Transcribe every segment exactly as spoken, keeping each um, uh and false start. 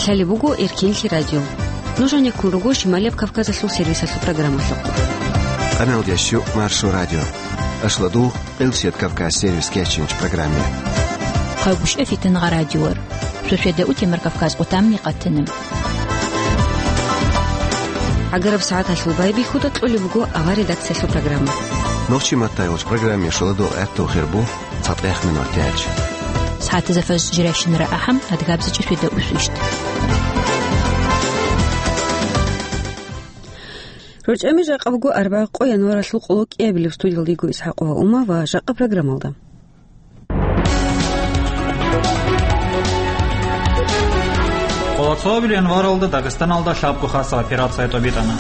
Лъалеб буго Эркенлъи радио. Нуж гьанеккун руго Шималияб Кавказалъул сервисалъул программалъухъ. Къаналдящу Маршо радио. Ашладугъ Къилсият Кавказ сервис кечинч программе. Хъагушев Фитангъа радиор. Суседа утемар Кавказ къутамни къатана. ГӀагараб сагӀаталъул байбихьуда кьолеб буго авар редакциялъул программа. Нохчи маттай вач программе шоладул гӀертухъ гьербу. ЦатӀехъ минут гьечӀ. СагӀатазда фажр жирайщинара ахӀам, адгабзичӀи светда усвищ. РорчӀами жакъа буго арбагъ къо январалъул къоло кӀиабилеб. Студиялда йиго ИсхӀакъова Ума ва жакъа программалда. Къоло цоабилеб январалда Дагъистаналда лъабго хасаб операция тӀобитӀана.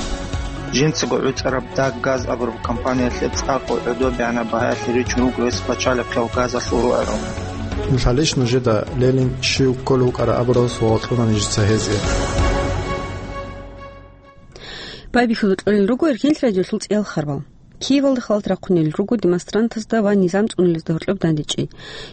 Жинцаго гӀуцӀараб Даг Газ абураб компаниялъе цӀакъго гӀодобегӀанаб багьаялъе ричун руго гьес пачалихъиял газалъул рогӀерал. Лъалищ нужеда Ленин щив кколев вукӀараб абурал суал кьуна нижеца гьезие. Байбихьуда кьолел руго Эркенлъи радиолъул цӀиял харбал. Киевалда халат рахъунел руго демонстрантазда ва низам цӀунулезда гьоркьоб дандечӀи.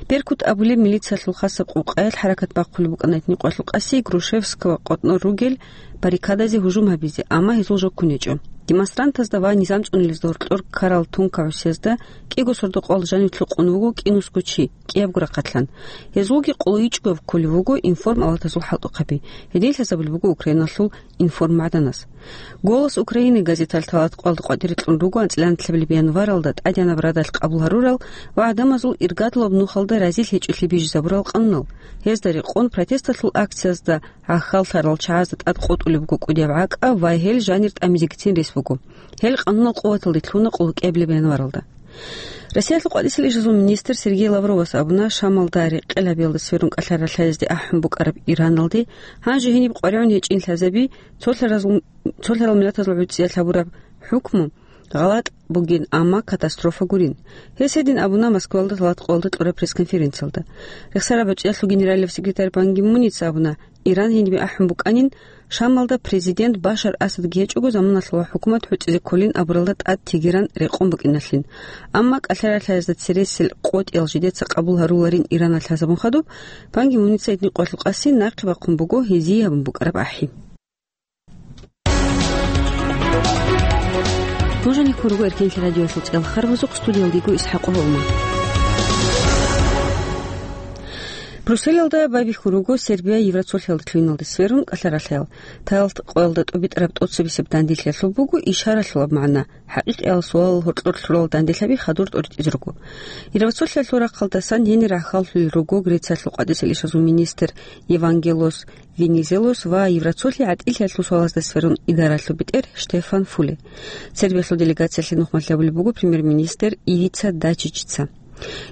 Беркут абулеб милициялъул хасаб къукъаялъ хӀаракат бахъулеб букӀана гьитӀинаб къоялъул къаси Грушевского къотӀнор ругел баррикадазе гьужум гьабизе, амма гьезул жо ккун гьечӀо. Демонстрантазда ва низам цӀунулезда гьоркьор ккарал тункагӀусиязда кӀиго сордо-къоялда жанив лъукъун вуго кӀинусго чи, кӀиябго рахъалъан. Гьезулги къоло ичӀго кколев вуго информалатазул хӀалтӀухъаби. Гьедин лъазабулеб буго Украиналъул информмагӀданас. «Голос Украины» газеталъ талат къоялда къватӀире кьун руго анцӀила нилъабилеб январалда тӀадегӀанаб радалъ къабул гьарурал ва гӀадамазул иргадулаб нухалда разилъ гьечӀолъи бижизабурал къанунал. Гьезда рекъон протесталъул акциязда гӀахьаллъарал чагӀазда тӀад къотӀулеб буго кӀудияб гӀакӀа ва гьел жанир тӀамизегицин рес буго. Гьел къанунал къуваталде лъуна къуллукъеблеб январалда. Россиялъул къватӀисел ишазул министр Сергей Лавровас абуна, Шамалда рекъелабиялда сверун кӀалъай ралъаязде ахӀун букӀараб Ираналде гьанже гьениб къваригӀун гьечӀин лъазаби, цолъаразул, цолъарал миллатазул гӀуцӀиялъ гьабураб хӀукму гъалатӀ бугин, амма катастрофа гурин. Гьес гьедин абуна Москвалда талат къоялда кьураб пресс-конференциялда. Рехсараб гӀуцӀиялъул генералияб секретарь Пан Ги Муница абуна, Иран гьенибе ахӀун букӀанин, Шамалда президент Башар Асадги гьечӀого заманалъ ва хӀукумат гӀуцӀизе кколин абуралда тӀад Тегеран рекъон букӀиналъин. Амма кӀалъай ралъаязда цересел къотӀиял жидеца къабул гьаруларин Иран лъазабун хадуб, Пан Ги Муница гьитӀинаб къоялъул къаси нахъе бахъун буго гьезие гьабун букӀараб ахӀи. Нуж гьанеккун руго Эркенлъи радиоялъул цӀиял харбазухъ, студиялда йиго ИсхӀакъова Ума. Брюсселалда байбихьун руго Сербия Евроцолъиялда лъугьиналде сверун кӀалъай ралъаял. Талат къоялда тӀубитӀараб тӀоцебесеб данделъиялъул буго ишаралъулаб магӀна. ХӀакъикъияб суалал гьоркьор лъурал данделъаби хадур тӀоритӀизе руго. Евроцолъиялъул рахъалдасан гьенир рахъаллъулел руго Грециялъул къватӀисел ишазул министр Евангелос Венизелос ва Евроцолъи гӀатӀилъиялъул суалазда сверун идаралъул бетӀер Штефан Фуле. Сербиялъул делегациялъе нухмалъ гьабулеб буго премьер-министр Ивица Дачичица.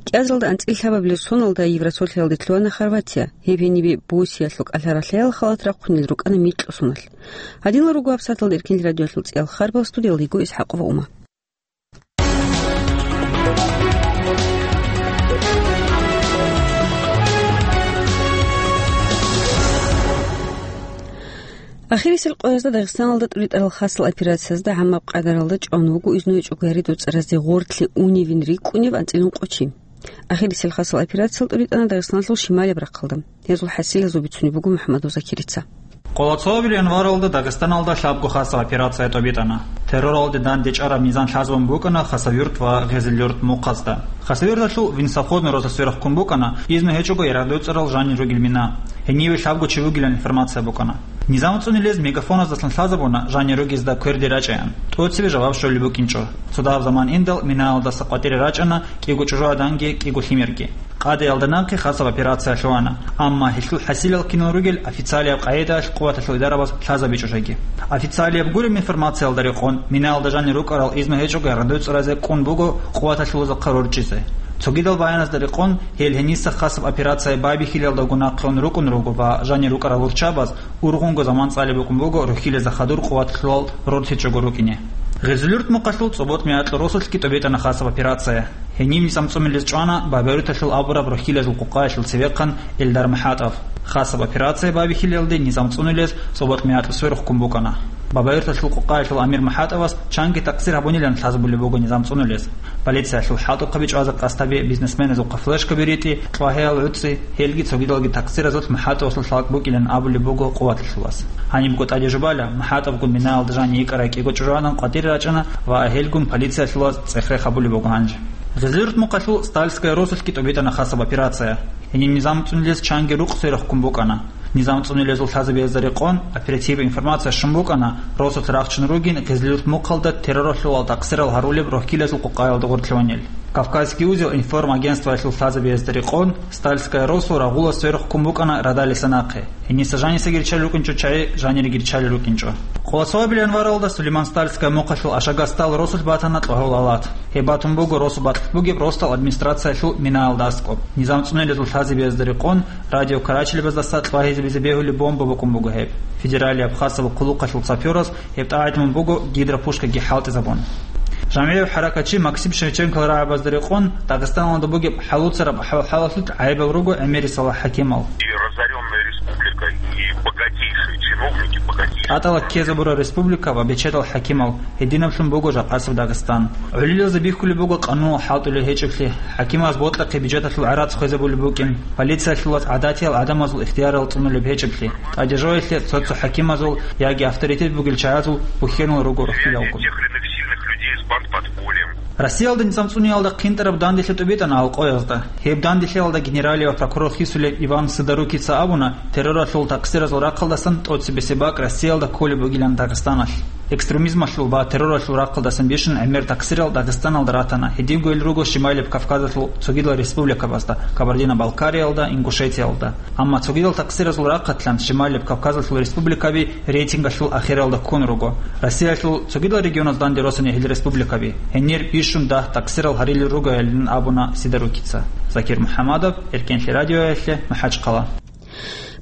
КӀиазалда анцӀила лъабабилеб соналда Евроцолъиялде лъугьана Хорватия, гьеб гьенибе Босниялъул кӀалъай ралъаял халат рахъунел рукӀана микьго соналъ. Гьадинал руго гьабсагӀаталда Эркенлъи радиоялъул цӀиял харбал, студиялда йиго ИсхӀакъова Ума. Ахирисел къоязда Дагъистаналда тӀуритӀарал хасал операциязда гӀаммаб къадаралда чӀван вуго изну гьечӀого гьари-дуцӀаразде гъорлъе уневин рикӀкӀунев анцӀила ункъо чи. Ахирисел хасал операциялъ тӀуритӀана Дагъистаналъул шималияб рахъалда. Гьезул хӀасилазул бицунеб буго МухӀаммад Узакирица. Къоло цоабилеб январалда Дагъистаналда лъабго хасаб операция тӀобитӀана. Терроралде дандечӀараб низам лъазабун букӀана Хасавюрт ва Гъезилюрт мухъазда. Хасавюрталъул Винсоходный розыск сверухъ ккун букӀана, изну гьечӀого гьари-дуцӀарал жанир ругел мина. Гьениве лъабго чи вугилан информация букӀана. Низам цӀунулез мегафоназдасан лъазабуна жанир ругезда кверде рачӀаян, тӀоцебе жаваб щолеб букӀинчӀо. Цо дагьаб заман индал минаялдаса къватӀире рачӀана кӀиго чӀужугӀаданги кӀиго лъимерги. Къадаялда нахъе хасаб операция лъугьана, амма гьелъул хӀасилал кинал ругел официалияб къагӀидаялъ къуваталъул идарабаз лъазабичӀо жеги. Официалияб гуреб информациялда рекъон, минаялда жанир рукӀарал изну гьечӀого гьари-дуцӀаразе кӀун буго къуваталъулазухъа рорчӀизе. Цогидал баяназда рекъон, гьел гьениса хасаб операция байбихьилалдаго нахъе ун рукӀун руго ва жанир рукӀарал руччабаз ургъунго заман цӀалеб букӀун буго рухьилазда хадур къуваталъулал рорчичӀого рукӀине. Гъезилюрт мухъалъул ЦӀоботӀ-Мякьул росулъги тӀобитӀана хасаб операция. Гьенив низам цӀунулез чӀвана Бабаруталъул абураб рухьилазул къукъаялъул цевехъан Эльдар МахӀатов. Хасаб операция байбихьилалде низам цӀунулез цӀобокь мякьи сверухъ ккун букӀана. Бабайюрталъул къокъаялъул амир МухӀатӀавас чанги такъсир гьабунилан лъазабулеб буго низам цӀунулез. Полициялъул хӀалтӀухъаби чӀвазе къасд гьаби, бизнесменазухъа флешкаби ритӀи, кьвагьиял гӀуцӀи, гьелги цогидалги такъсиразулъ МухӀатӀавасул лъалкӀ букӀилан абулеб буго къуваталъулас. Гьанибго тӀадежубала, МухӀатӀавгун минаялда жанив йикӀарай кӀиго чӀужугӀадан къватӀире рачӀана ва гьелгун полициялъулас цӀех-рех гьабулеб буго гьанже. Гъизлирут мухъалъул Стальская росулъги тӀубитӀана хасаб операция. Гьениб низам цӀунулез чанги рукъ сверухъ ккун букӀана. Низам цӀунулезул лъазабиязда рекъон, оперативаб информация щун букӀана, росулъ рахчун ругин Гъизлирут мухъалда терроралъул ва такъсирал гьарулеб рохьилазул къокъаялда гъорлъ гьаванел. Кавказский узел информагентствоялъул лъазабиязда рекъон, Стальская росу рагъула сверухъ ккун букӀана радалиса нахъе. Гьениса жанисаги риччалел рукӀинчӀо чагӀи, жанириги риччалел рукӀинчӀо. Къоло цоабилеб январалда Сулейман-Стальская мухъалъул Ашагастал росулъ батана кьвагьул алат. Гьеб батун буго росу бакьулъ бугеб росдал администрациялъул минаялда аскӀоб. Низам цӀунулезул лъазабиязда рекъон, радио карачилабаздаса кьвагьизабизе бегьулеб бомба букӀун буго гьеб. Федералияб хасаб хъулухъалъул сапёраз гьеб тӀагӀидлъун буго гидропушкаги хӀалтӀизабун. ЖамгӀияв хӀаракатчи Максим Шевченкол рагӀабазда рекъон, Дагъистаналда бугеб хӀалуцараб хӀал-хӀалалъулъ гӀайибал руго гӀемерисела хӀакимал. И разорённая республика, и богатейшие чиновники, богатейшие. ТӀатӀала ккезабураб республика ва бечедал хӀакимал, гьединаблъун буго жакъасеб Дагъистан. ГӀолилазе бихьулеб буго къануналъ хӀалтӀулел гьечӀеблъи, хӀакимаз бокьахъе бюджеталъул гӀарац хвезабулеб букӀин, полициялъулас гӀадатиял гӀадамазул ихтиярал цӀунулеб гьечӀеблъи, тӀадежоялъе цо-цо хӀакимазул яги авторитет бугел чагӀазул бухьенал руго рохьилалгун. Тех или иных сильных людей с бандподпольем. Россиялда низам цӀуниялда хъинтӀараб данделъи тӀубитӀана алкъоязда. Гьеб данделъиялда генералияб прокурор хисулев Иван Сидорукица абуна, терроралъул такъсиразул рахъалдасан тӀоцебесеб бакӀ Россиялда кколеб бугилан Дагъистаналъ. Экстремизмалъул ва терроралъул рахъалдасан бищун гӀемер такъсирал Дагъистаналда ратана, гьединго ил руго Шималияб Кавказалъул цогидал республикабазда, Кабардино-Балкариялда, Ингушетиялда. Амма цогидал такъсиразул рахъалъан Шималияб Кавказалъул республикаби рейтингалъул ахиралда ккун руго. Россиялъул цогидал регионаз данде росани гьел республикаби, гьенир бищун дагь такъсирал гьарилел ругоялин абуна Сидорукица. Закир МухӀаммадов, Эркенлъи радиоялъе, МахӀачхъала.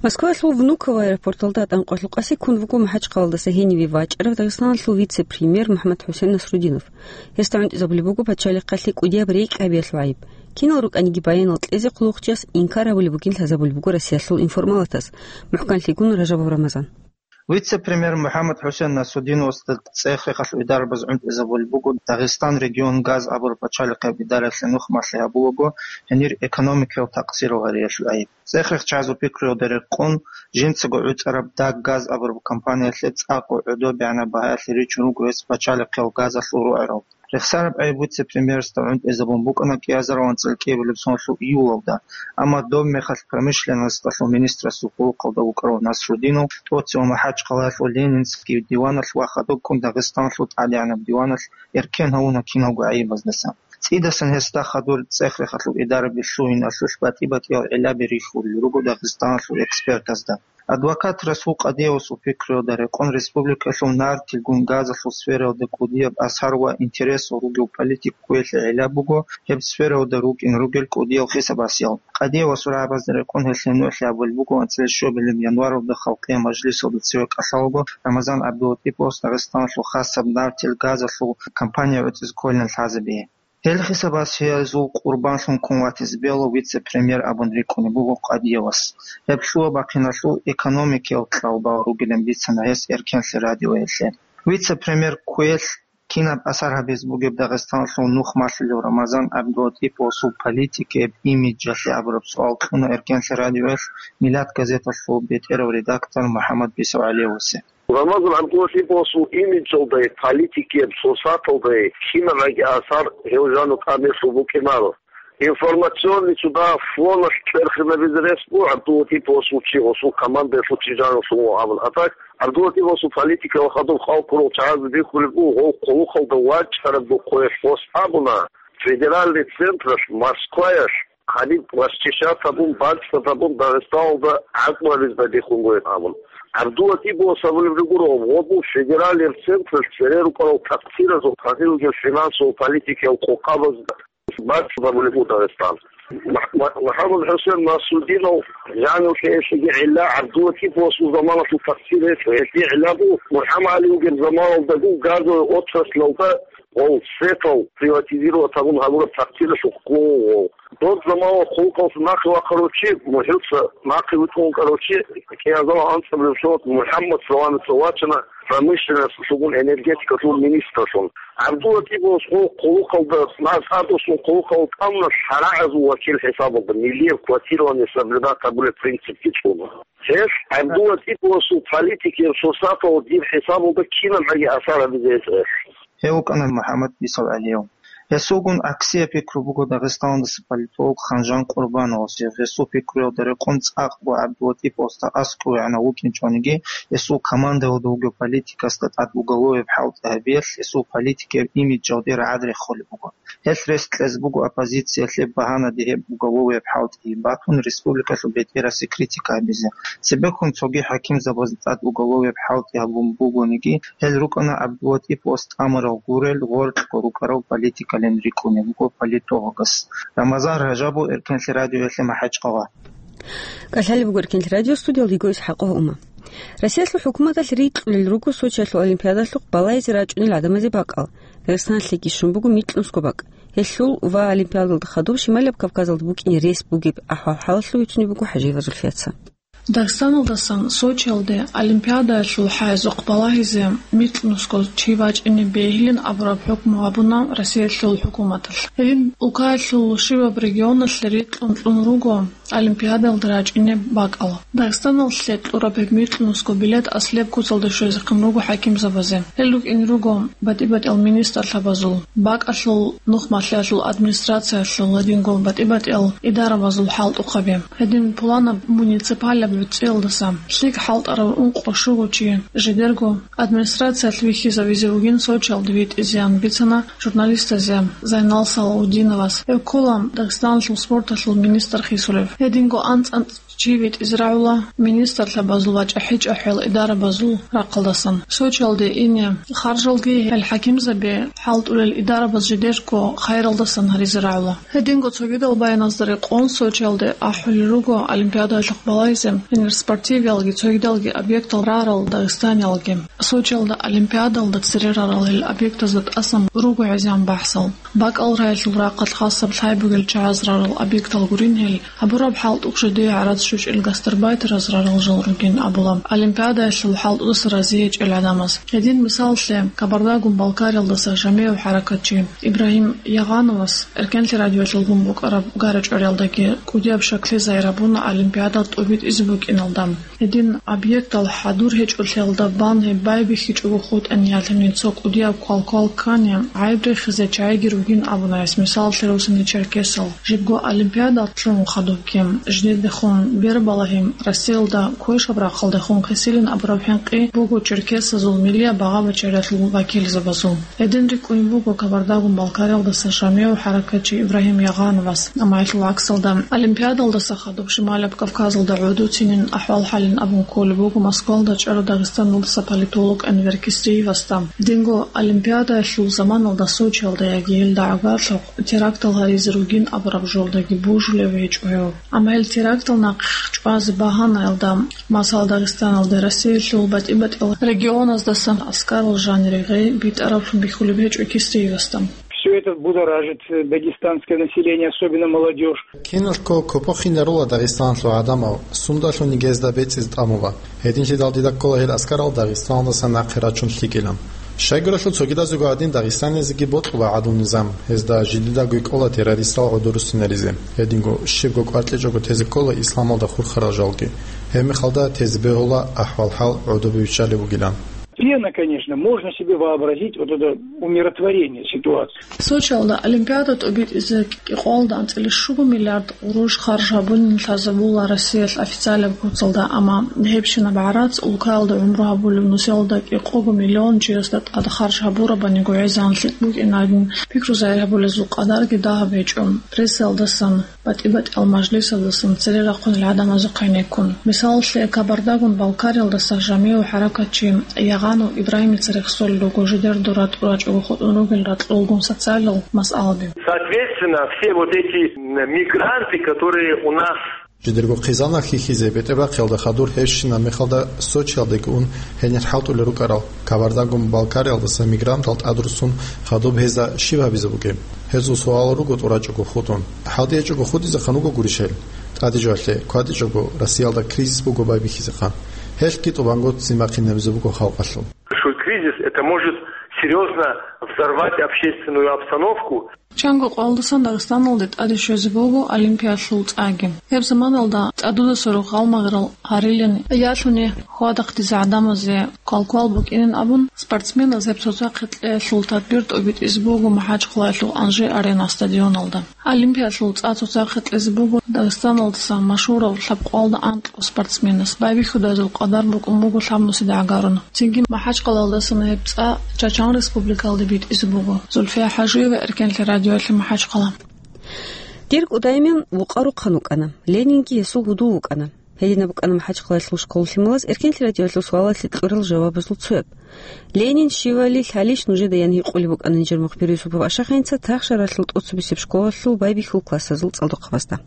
Москваялъул Внуково аэропорталда тӀанкъвалъукъасе ккун вуго МахӀачхъалалдаса гьениве вачӀарав Дагъистаналъул вице-премьер МухӀаммад ХӀусен Насрудинов. Гьесда гӀунтӀизабулеб буго пачалихъалъе кӀудияб рекӀкӀабиялъул гӀайиб. Кинал рукӀаниги баянал кьезе хъулухъчияс инкар гьабулеб бугин лъазабулеб буго Россиялъул информалатас. МухӀканлъигун Ражабов Рамазан. Вице-премьер МухӀаммад ХӀусен Насудиновасда цӀех-рехалъ идарабаз гӀунтӀизабулеб буго Дагъистан регион газ абураб пачалихъеб идараялъе нух малъи гьабулаго, гьенир экономикиял такъсирал гьариялъул гӀайиб. ЦӀех-рехчазул пикруялда рекъон, жинцаго гӀуцӀараб Даг газ абураб компаниялъе цӀакъго гӀодобегӀанаб багьаялъе ричун руго гьес пачалихъиял газалъул рогӀерал. Рехсараб гӀайиб вице-премьерасда гӀунтӀизабун букӀана кӀиазарван цӀалкӀиябилеб соналъул июлалда, амма доб мехалъ промышленносталъул министрасул хъулухъалда вукӀарав Насрудинов тӀоцеве МахӀачхъалаялъул Ленинский диваналъ ва хадубкӀун Дагъистаналъул тӀадегӀанаб диваналъ эркен гьавуна киналго гӀайибаздаса. ЦӀидасан гьесда хадур цӀех-рехалъул идараби лъугьиналъулъ батӀи-батӀиял гӀиллаби рихьулел руго Дагъистаналъул экспертазда. Адвокат Расул Къадиевасул пикруялда рекъон республикалъул нартилгун газалъул сфераялда кӀудияб асар ва интересал ругев политик кквеялъе гӀилла буго гьеб сфераялда рукӀин ругел кӀудиял хисабасиял. Къадиевасул рагӀабазда рекъон гьелъие нугӀлъи гьабулеб буго анцӀила щобилеб январалда Халкъиял мажлисалда цеве кӀалъалаго Рамазан ГӀабдулатӀиповас Дагъистаналъул хасаб нартил газалъул компания гӀуцӀизе кколилан лъазабиги. Гьел хисабасиязул къурбанлъун ккун ватизе бегьула вице-премьер абун рикӀкӀунеб буго Къадиевас. Гьеб лъугьа-бахъиналъул экономикиял кьалбал ругилан бицана гьес Эркенлъи радиоялъе. Вице-премьер кквеялъ кинаб асар гьабизе бугеб Дагъистаналъул нух малъулев Рамазан ГӀабдулатӀиповасул политикияб имиджалъе абураб суал кьуна Эркенлъи радиоялъ Миллат газеталъул бетӀерав редактор МухӀаммад БисовгӀалиевасе. Рамазан ГӀабдулатӀиповасул имиджалдай, политикияб сурсаталдай кинабниги асар гьев жану тӀамелъул букӀинаро. Информационный цо дагьаб фоналъ кьерхинабизе рес буго ГӀабдулатӀиповасул чи, гъосул командаялъул чи жанулъун вуго абун. А так, ГӀабдулатӀиповасул политикалда хадуб хал ккурал чагӀазда бихьулеб буго, гъов хъулухъалда вачӀараб духъе гъос абуна, федеральный централъ, Москваялъ, гьаниб расчищать гьабун, бацӀцӀад гьабун, Дагъистаналда гӀакълу гьабизе бихьун бугеб абун. ГӀабдулатӀиповас абулеб гуро, гъоб федералияб централъ цере рукӀарал такъсиразул, гьанир ругел финансовый политикиял къокъабазда бацӀцӀад гьабулеб буго Дагъистан. Мах-, Мах-, МухӀаммад ХӀусен Насрудинов жанив лъеялъеги гӀилла ГӀабдулатӀиповасул заманалъул такъсир гьечӀо. Гьелъие гӀилла буго, МухӀаммад ГӀали вугеб заманалдагун газовый отраслалда гъов светал приватизировать гьабун гьабураб такъсиралъухъ ккун вуго. Доб замана хъулухъалъ нахъе вахъарав чи, мухӀилца нахъе витӀун вукӀарав чи, кӀиазал анцӀабилеб соналъ МухӀаммад Саламица вачана промышленносталъул министрлъун. ГӀабдуллатӀиповас хъулухъалда, МасгӀадовасул хъулухъалда тӀамуна шарагӀазул вакил хӀисабалда, миллияб квотирование соблюдать гьабулеб принципги цӀуна. Гьелъ ГӀабдуллатӀиповасул политикияб сурсаталда дир хӀисабалда кинабгӀаги асар гьабизе гьечӀо. Гьев вукӀана МухӀаммад БицалгӀалияв. Гьесулгун гӀаксияб пикру буго Дагъистаналдаса политолог Ханжан Къурбановасев. Гьесул пикруялда рекъон цӀакъго ГӀабдулатӀиповасда аскӀовегӀанав вукӀинчӀониги, гьесул командаялда вугев политикасда тӀад уголовияб хӀалтӀи гьабиялъ гьесул политикияб имиджалде рагӀад рехулеб буго. Гьелъ рес кьезе буго оппозициялъе багьанаде гьеб уголовияб хӀалтӀи батун республикалъул бетӀерасде критика гьабизе. Цебеккун цоги хӀакимзабазда тӀад уголовияб хӀалтӀи гьабун бугониги, гьел рукӀана ГӀабдулатӀиповас тӀамурал гурел гъоркьго рукӀарал политикалин рикӀкӀунеб буго политологас. Рамазан Ражабов, Эркенлъи радиоялъе МахӀачкъала. КӀалъалеб буго Эркенлъи радио, студиялда йиго ИсхӀакъов Ума. Россиялъул хӀукуматалъ рикьулел руго Сочиялъул олимпиадалъухъ балагьизе рачӀунел гӀадамазе бакӀал. Дагъистаналъеги щун буго микьнусго бакӀ. Гьелъул ва олимпиадалда хадуб Шималияб Кавказалда букӀине рес бугеб ахӀвал-хӀалалъул бицунеб буго ХӀажиева Зульфияца. Дагъистаналдасан Сочиялде олимпиадаялъул хӀайзухъ балагьизе микьнусго чи вачӀине бегьилин абураб хӀукму гьабуна Россиялъул хӀукуматалъ. Гьедин улкаялъул щибаб регионалъе рикьун кьун руго олимпиадалда рачӀине бакӀал. Дагъистаналъе кьураб гьеб микьнусго билет аслияб куцалда щвезехъин руго хӀакимзабазе. Гьел рукӀине руго батӀи-батӀиял министрлъабазул, бакӀалъул, нух малъиялъул администрациялъул, гьединго батӀи-батӀиял идарабазул хӀалтӀухъаби. Гьедин пуланаб муниципалаб гӀуцӀиялдаса лъикӀ хӀалтӀарав ункъо-щуго чи жидерго администрациялъ вихьизавизе вугин Сочиялде витӀизеян бицана журналистазе Зайнал Салаудиновас. Гьев ккола Дагъистаналъул спорталъул министр хисулев. Гьединго анцӀ-анцӀ чи витӀизе рагӀула министрлъабазул ва чӀахӀи-чӀахӀиял идарабазул рахъалдасан. Сочиялде ине харжалги гьел хӀакимзаби хӀалтӀулел идарабаз жидерго хайралдасан гьаризе рагӀула. Гьединго цогидал баяназда рекъон Сочиялде ахӀулел руго олимпиадаялъухъ балагьизе гьенир спортивиялги цогидалги объектал рарал дагъистаниялги. Сочиялда олимпиадалда цере рарал гьел объектазда тӀасан руго гӀезегӀан бахӀсал. БакӀал рагӀилъул рахъалъ хасаб лъай бугел чагӀаз рарал объектал гурин гьел, гьабураб хӀалтӀухъ жидее гӀарац щучӀел гастарбайтераз рарал жал ругин абула олимпиадаялъул хӀалтӀудаса разие гьечӀел гӀадамаз. Гьедин мисалалъе, Кабардагун-Балкариялдаса жамигӀав хӀаракатчи Ибрагьим Ягъановас Эркенлъи радиоялъулгун букӀараб гара-чӀвариялдаги кӀудияб шаклъи загьир гьабуна олимпиада тӀубитӀизе букӀиналда. Гьедин объектал хӀадур гьечӀолъиялда бан гьеб байбихьичӀого хутӀани, гьалъани цо кӀудияб квалквал ккани, гӀайиб рехизе чагӀиги ругин абуна гьес, мисалалъе, росани черкесал. Жибго олимпиада лъугӀун хадубги, жидедехун бербалагьи Россиялда квешаб рахъалдехун кесилин абураб хӀинкъи буго черкесазул миллияб багъа-бачаралъул вакилзабазул. Гьедин рикӀкӀунеб буго Кабардагун-Балкариялдаса жамигӀав хӀаракатчи Ибрагьим Ягъановас, амма гьелъул гӀаксалда, олимпиадалдаса хадуб Шималаб Кавказалда гӀодоцинин ахӀвал-хӀалин абун кколеб буго Москвалда чӀарав Дагъистаналдаса политолог Энвер Кистриевасда. Гьединго олимпиадаялъул заманалда Сочиялда яги гьелда гӀагарлъухъ терактал гьаризе ругин абураб жолдаги божулев гьечӀо гьев. Амма гьел терактал нахъе чӀвазе багьанаялда, масала, Дагъистаналде Россиялъул батӀи-батӀиял регионаздасан аскарал жанире гъей битӀараблъун бихьулеб гьечӀо Кистриевасда. Всё это будоражит, э, дагестанское население, особенно молодёжь. Киналго копохинарула Дагъистаналъул гӀадамал, сундалъуни гьезда бецӀизе тӀамула. Гьединлъидал дида ккола гьел аскарал Дагъистаналдаса нахъе рачун лъикӀилан. Щайгурелъул цогидазего гьадин дагъистанизеги бокьула гӀадлу-низам, гьезда жидедаго кӀола террористал гӀодоруссинаризе. Гьединго щибго кӀваркьичӀого тезе ккола исламалда хурхарал жалги. Гьебмехалда тезе бегьула ахӀвал-хӀал гӀодобе виччалеб бугилан. Пена, конечно, можно себе вообразить вот это умиротворение ситуации. Сочиялда олимпиада тӀубитӀизе кӀикъоялда анцӀила щуго миллиард гъурущ харж гьабунин лъазабула Россиялъ официалаб куцалда, амма гьебщинаб гӀарац улкаялда гӀумру гьабулев нусиялда кӀикъого миллион чиясда тӀад харж гьабурабани гӀезегӀан лъикӀ букӀинарин пикру загьир гьабулезул къадарги дагьаб гьечӀо. Прессаялдасан, батӀи-батӀиял мажлисаздасан цере рахъунел гӀадамазухъ гӀенеккун. Мисалалъе, Кабардагун-Балкариялдаса жамигӀав хӀаракатчи Ягъанов Ибрагьимица рехсолел руго жидер дура тӀурачӀого хутӀун ругел ракьулгун социалал масъалаби. Соответственно, все вот эти, м, мигранты, которые у нас Жидерго хъизанал хьихьизе бетӀерахъиялда хадур гьебщинаб мехалда Сочиялдеги ун гьенир хӀалтӀулел рукӀарал Кабардагун-Балкариялдаса мигрантал тӀадруссун хадуб гьезда щиб гьабизе бугеб? Гьезул суалал руго тӀурачӀого хутӀун. ХӀалтӀичӀого хутӀизехъан вуго гурищ гьел? ТӀаде жо гьалъе, кватӀичӀого Россиялда кризис буго байбихьизехъан. Гьелъги тӀубанго ццин бахъинабизе буго халкъалъул. Большой кризис, это может серьёзно взорвать общественную обстановку. Чанго къоялдасан Дагъистаналде тӀаде щвезе буго Олимпиялъул цӀаги. Гьеб заманалда тӀадудаса рогъ гъалмагърал гьарилин, ялъуни хьвадахъдизе гӀадамазе квалквал букӀинин абун, спортсменаз гьеб цоцахъе кьеялъул тадбир тӀобитӀизе буго МахӀачхъалаялъул Анжи-Арена стадионалда. Олимпиялъул цӀа цоцахъе кьезе буго Дагъистаналдаса машгьурав лъабкъоялда анкьго спортсменас. Байбихьудайзул къадар букӀун буго лъабнусида гӀагарун. Цинги МахӀачхъалаялдасан гьеб цӀа Чачан Республикалде битӀизе буго. Зульфия ХӀажиева, Эркенлъи радиоялъе, МахӀачхъала. Дир кӀудияв вукъа рухъан вукӀана. Ленинги гьесул гьудул вукӀана. Гьединаб букӀана МахӀачхъалаялъул школалъ лъималаз Эркенлъи радиоялъул суалалъе кьурал жавабазул цояб. Ленин щивали лъалищ нужеда ян гьикъулеб букӀана нижер мухбир Юсупов Ашахинца Тахшаралъул тӀоцебесеб школалъул байбихьул классазул цӀалдохъабазда.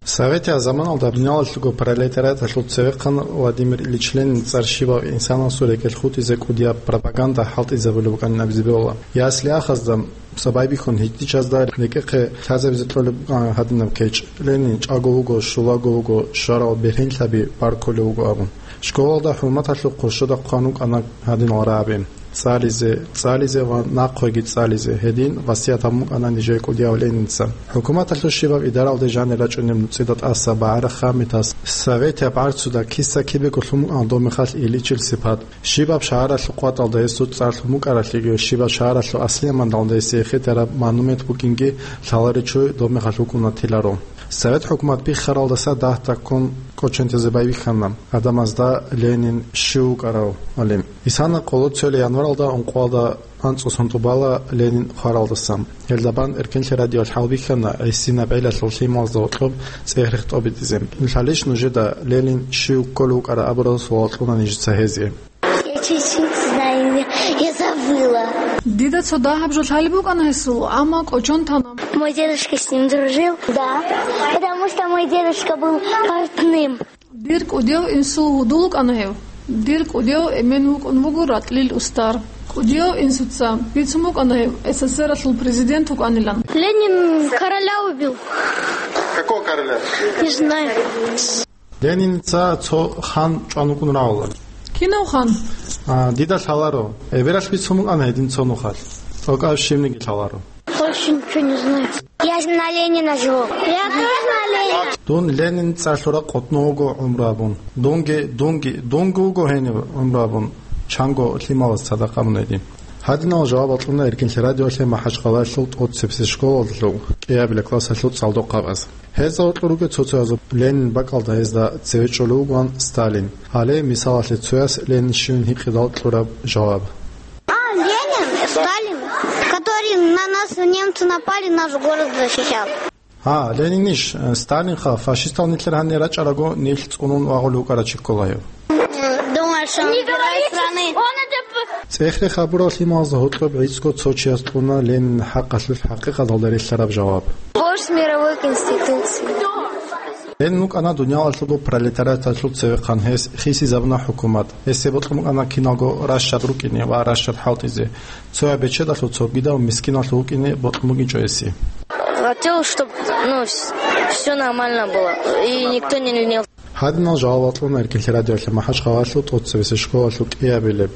Советияб заманалда дуниялалъулго пролетариаталъул цевехъан Владимир Ильич Ленин цӀар щибав инсанасул рекӀелъ хутӀизе кӀудияб пропаганда хӀалтӀизабулеб букӀанин абизе бегьула. Ясли-ахазда, цо байбихьун гьитӀичӀазда рекӀехъе лъазабизе кьолеб букӀана гьадинаб кечӀ: Ленин чӀаго вуго, щулаго вуго, щварал бергьенлъаби баркулев вуго абун. Школалда хӀурматалъухъ хъурщода хъван вукӀана гьадинал рагӀаби: цӀализе, цӀализе ва нахъеги цӀализе, гьедин васият гьабун букӀана нижее кӀудияв Ленинца. ХӀукуматалъул щибаб идаралде жанир рачӀунеб нуцӀида тӀаса багӀарахъа метас, советияб гӀарцуда киса-кибего лъун букӀана доб мехалъ иличил сипат. Щибаб шагьаралъул къватӀалда гьесул цӀар лъун букӀаралъеги, щибаб шагьаралъул аслияб мандалда гьесие хитараб монумент букӀинги лъаларичӀого доб мехалъ вукӀуна тиларо. Совет хӀукумат биххаралдаса дагь-дагьккун кӀочон тезе байбихьана гӀадамазда Ленин щив вукӀарав гьалин. Исана къоло цоялъ январалда ункъоялда анцӀго сон тӀубала Ленин хваралдаса. Гьелда бан Эркенлъи радиоялъ хӀалбихьана гӀисинаб гӀелалъул лъималазда гьоркьоб цӀех-рех тӀобитӀизе. Лъалищ нужеда Ленин щив кколев вукӀарав абурал суал кьуна нижеца гьезие. Я чуть-чуть знаю, я, я забыла. Дида цо дагьаб жо лъалеб букӀана гьесул, амма кӀочон тана. Мой дедушка с ним дружил? Да, потому что мой дедушка был портным. Дир кӀудияв инсул гьудул вукӀана гьев. Дир кӀудияв эмен вукӀун вуго ратӀлил устар. КӀудияв инсуца бицун букӀана гьев СССР-алъул президент вукӀанилан. Ленин короля убил. Какого короля? Не знаю. Лениница цо хан чӀван вукӀун рагӀула. Кинав хан? А, дида лъаларо. Эбелалъ бицун букӀана гьедин цо нухалъ. ТӀокӀаб щибниги лъаларо. Больше ничего не знаю. Я на Ленина живу. Я тоже на Ленина. Дун Ленин цӀар лъураб къотӀнов вуго гӀумру абун. Дунги, дунги, дунги вуго гьенив гӀумру абун. Чанго лъималаз цадахъ абун гьедин. Гьадинал жаваб кьуна Эркенлъи радиоялъе МахӀачхъалаялъул тӀоцебесеб школалъул кӀиабилеб классалъул цӀалдохъабаз. Гьезда гьоркьор ругел цо-цоязул: Ленин бакӀалда гьезда цеве чӀолев вугоан Сталин. Гьале мисалалъе цояс Ленин щивин гьикъидал кьураб жаваб. А, Ленин, Сталин, который на нас немцы напали, наш город защищал. Гьа, Ленинищ, э, Сталинха, фашистал нилъер гьанир рачӀараго, нилъ цӀунун вагъулев вукӀарав чи ккола гьев. Думаю, что он герой страны. ЦӀехе хабурал лъималазда гьоркьоб гӀицӀго цо чияс кьуна Ленин хӀакъалъулъ хӀакъикъаталда релълъараб жаваб. Борщ мировой конституции. Ленин вукӀана дуниялалъулго пролетариаталъул цевехъан, гьес хисизабуна хӀукумат. Гьесие бокьун букӀана киналго ращад рукӀине ва ращад хӀалтӀизе. Цояб бечедалъул цогидал мискиналъув вукӀине бокьун бугинчӀо гьесие. Хотел, чтоб, ну, вс-, всё нормально было, и никто не винил. Гьадинал жаваб кьуна Эркенлъи радиоялъе МахӀачхъалаялъул тӀоцебесеб школалъул кӀиабилеб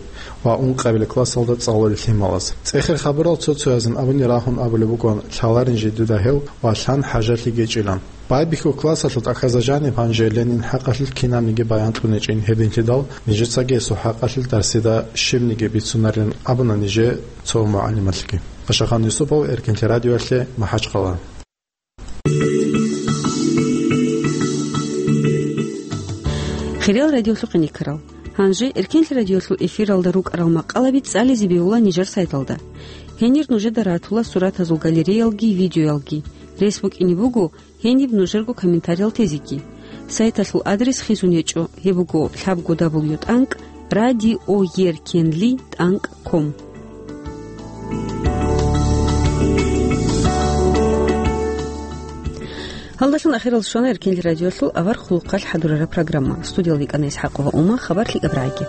ва ункъабилеб классалда цӀалулел лъималаз. ЦӀехе хабурал цо-цоязин абуни рагьун абулеб бугоан: лъаларин жидеда гьев ва лъан хӀажалъи гьечӀилан. Байбихьул классалъул тӀахьазда жаниб гьанже Ленин хӀакъалъулъ кинабниги баян кьун гьечӀин, гьединлъидал нижецаги гьесул хӀакъалъулъ дарсида щибниги бицунарин абуна нижее цо мугӀалималъги. Ашахан Юсупов, Эркенлъи радиоялъе, МахӀачхъала. Хириял радиолъухъе никарал. Гьанже Эркенлъи радиолъул эфиралда рукӀарал макъалаби цӀализе бегьула нижер сайталда. Гьенир нужеда ратула суратазул галереялги видеоялги. Рес букӀине буго гьениб нужерго комментариял тезеги. Сайталъул адрес хизун гьечӀо, гьеб буго лъабго дабл ю тӀанкӀ радио еркенли тӀанкӀ ком. Гьалдалъун ахирал щвана Эркенлъи радиолъул авар хъулухъалъ хӀадурараб программа. Студиялда йикӀана ИсхӀакъова Ума, хабар лъикӀаб рагӀиги.